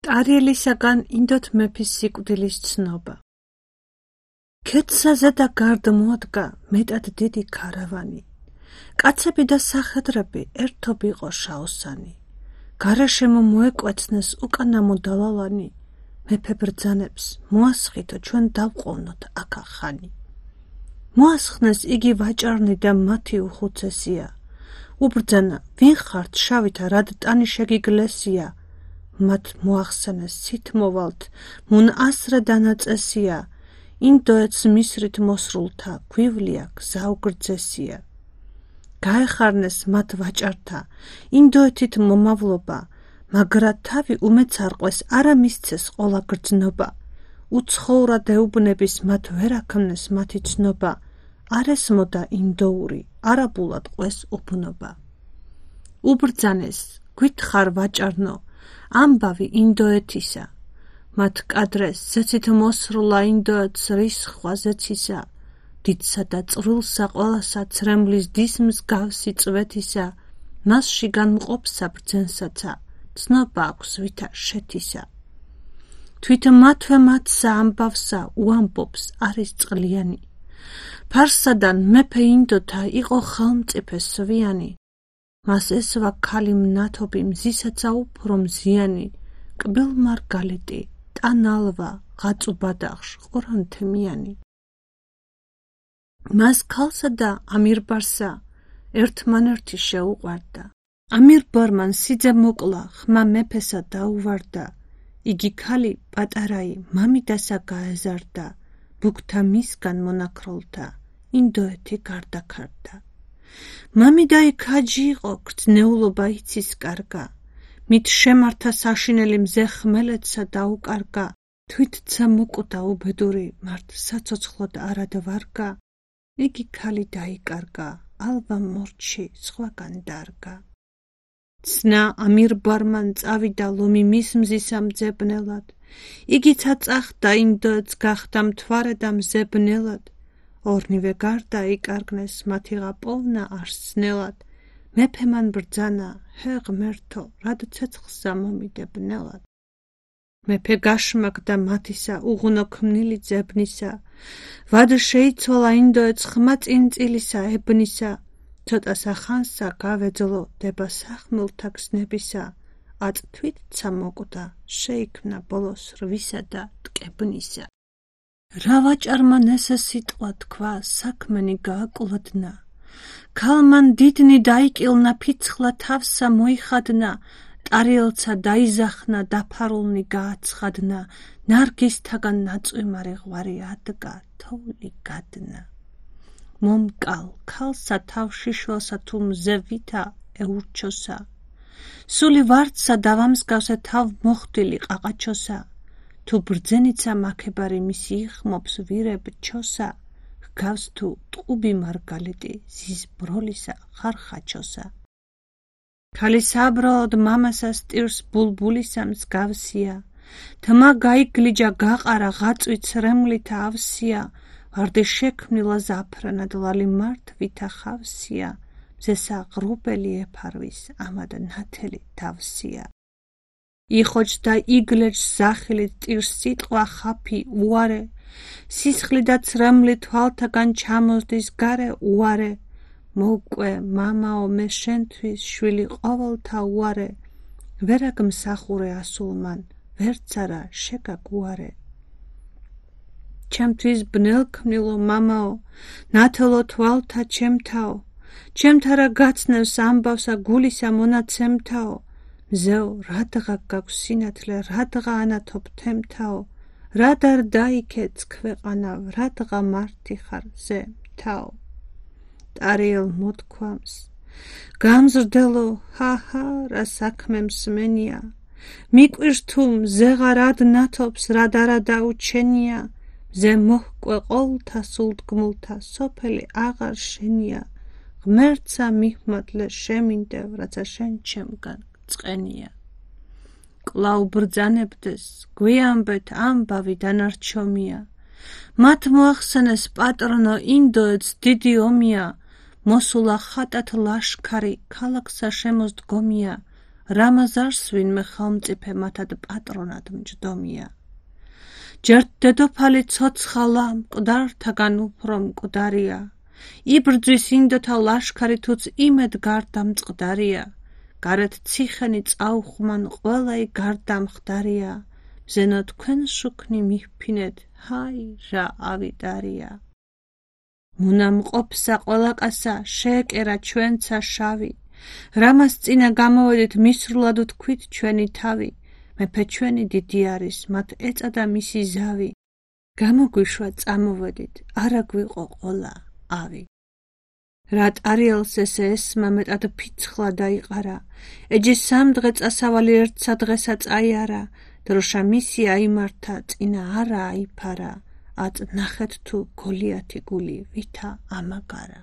ტარიელისაგან ინდოთ მეფის სიკვდილის ცნობა. ქედსაზე და გარდ მოადგა მეტად დიდი ქარავანი. კაცები და სახედრები ერთობ იყო შაოსანი. გარაშემო მოეკვეცნეს უკანამო დალალანი. მეფე ბრძანებს მოასხითო ჩვენ დავყოვნოთ აქა ხანი. მოასხნეს იგი ვაჭარნი და მათი უხუცესია. უბრძანა ვინ ხართ შავითა რად ტანი შეგიგლესია. მათ მოახსენეს სით მოვალთ მუნ ასრე დანაწესია. ინდოეთს მისრით მოსრულთა გვივლია გზა უგრძესია. გაეხარნეს მათ ვაჭართა ინდოეთით მომავლობა, მაგრა თავი უმეც არყვეს არა მისცეს ყოლა გრძნობა. უცხოვრა დეუბნების მათ ვერ აქმნეს მათი ცნობა. არ ესმოდა ინდოური, არაბულად ყვეს უბნობა. უბრძანეს გვითხარ ვაჭარნო, ამბავი ინდოეთისა. მათ კადრეს ზეცით მოსრულა ინდოეთს რისხვა ზეცისა. დიდსა და წვრილსა ყველასა ცრემლის დის მსგავსი წვეთისა. მასში განმყოფსა ბრძენსაცა, ცნობა აქვს ვითა შეთისა. თვით მათვე მათსა ამბავსა უამბობს არის წყლიანი. ფარსადან მეფე ინდოთა იყო ხელმწიფე სვიანი. მას ესვა ქალი მნათობი მზისაცა უფრო მზიანი. კბილ მარგალიტი, ტანალვა, ღაწუბადახშ, ყორანთემიანი. მას ქალსა და ამირბარსა ერთმანერთი შეუყვარდა. ამირბარმან სიძე მოკლა, ხმა მეფესა დაუვარდა. იგი ქალი პატარაი მამიდასა გაეზარდა. ბუქთა მისგან მონაქროლთა, ინდოეთი გარდაქარდა. მამიდაი ქაჯი იყო, გრძნეულობა იცის კარგა. მით შემართა საშინელი მზე ხმელეთსა დაუკარგა. თვითცა მოკვდა უბედური, მართ საცოცხლოდ არად ვარგა. იგი ქალი დაიკარგა, ალვა მორჩი სხვაგან დარგა. ცნა ამირბარმან წავიდა ლომი მის მზისა მძებნელად. იგიცა წახდა ინდოეთს გახდა მთვარე და მზებნელად. ორნივე გარდა იკარგნეს მათიღა პოვნა არსნელად. მეფე მან ბრძანა ჰე ღმერთო რად ცეცხლსა მომიდებნელად. მეფე გაშმაკდა მათისა უღუნო ქმნილი ძებნისა. ვად შეიცვალა ინდოეთს ხმა წინწილისა ებნისა. ცოტასა ხანსა გავეძლო დება სახმელთა გზნებისა. აწ თვითცა მოკვდა შეიქმნა ბოლოს რვისა და ტკებნისა. რა ვაჭარმა ესე სიტყვა თქვა საქმენი გააკვლოდნა. ქალმან დიდნი დაიკილნა ფიცხლა თავსა მოიხადნა. ტარიელცა დაიზახნა დაფარულნი გააცხადნა. ნარგისთაგან ნაწვიმარი ღვარი ადგა თოვლი გადნა. მომკალ ქალსა თავ შიშველსა თუ მზე ვითა ეურჩოსა. სული ვარდსა დავამსგავსე თავ მოხდილი ყაყაჩოსა. თუ ბრძენიცა მაქებარი მისი იხმობს ვირებ ჩოსა. ჰგავს თუ ტყუბი მარგალიტი ზის ბროლისა ხარხაჩოსა. ქალი საბრალოდ მამასა სტირს ბულბულისა მსგავსია. თმა გაიგლიჯა გაყარა ღაწვი ცრემლითა ავსია. ვარდი შექმნილა ზაფრანად ლალი მართ ვითა ხავსია. მზესა ღრუბელი ეფარვის ამად ნათელი თავსია. იხოჯდა იგლეჯს ზახილით ტირს სიტყვა ხაფი უარე. სისხლი და ცრემლი თვალთაგან ჩამოზდის გარე უარე. მოუკვე მამაო მე შენთვის შვილი ყოველთა უარე. ვერა გმსახურე ასულმან ვერც არა შეგაგუარე. ჩემთვის ბნელქმნილო მამაო ნათელო თვალთა ჩემთაო. ჩემთარა გაცნევს ამბავსა გულისა მონაცემთაო. მზეო რადღა გაქვს სინათლე რადღა ანათობ თემთაო. რად არ დაიქეც ქვეყანა რადღა მართი ხარ ზე მთაო. ტარიელ მოთქვამს გამზრდელო ჰაჰა რა საქმე მსმენია. მიკვირს თუ მზეღა რად ნათობს რად არა დაუჩენია. მზე მოჰკვე ყოლთა სულდგმულთა სოფელი აღარ შენია. ღმერთსა მიჰმადლე შემინდევ რაცა შენ ჩემგან წყენია. კვლავ ბრძანებდეს გვიამბეთ ამბავი დანარჩომია. მათ მოახსენეს პატრონო ინდოეთს დიდი ომია. მოსულა ხატათ ლაშქარი ქალაქსა შემოსდგომია. რამაზარს ვინმე ხელმწიფე მათად პატრონად მჯდომია. ჯერთ დედოფალი ცოცხალა მკვდართაგან უფრო მკვდარია. იბრძვის ინდოთა ლაშქარი თუც იმედ გარდა მწყდარია. გარეთ ციხენი წაუხმან ყველაი გარდა მხდარია. მზენო თქვენ შუქნი მიფფინეთ, ჰაი რა ავიდარია. მუნა მყოფსა ყველაკასა შეეკერა ჩვენცა შავი. რამას წინა გამოვედით მისრულად ვთქვით ჩვენი თავი. მეფე ჩვენი დიდი არის, მათ ეწადა მისი ზავი. გამოგვიშვა წამოვედით, არა გვიყო ყოლა ავი. რატ არიელს ესე ესმა მეტად ფიცხლა დაიყარა. ეჯი სამ დღე წასავალი ერთსა დღესა წაიარა. დროშა მისი აიმართა, წინა არა აიფარა. ათ ნახეთ თუ გოლიათი გული ვითა ამაგარა.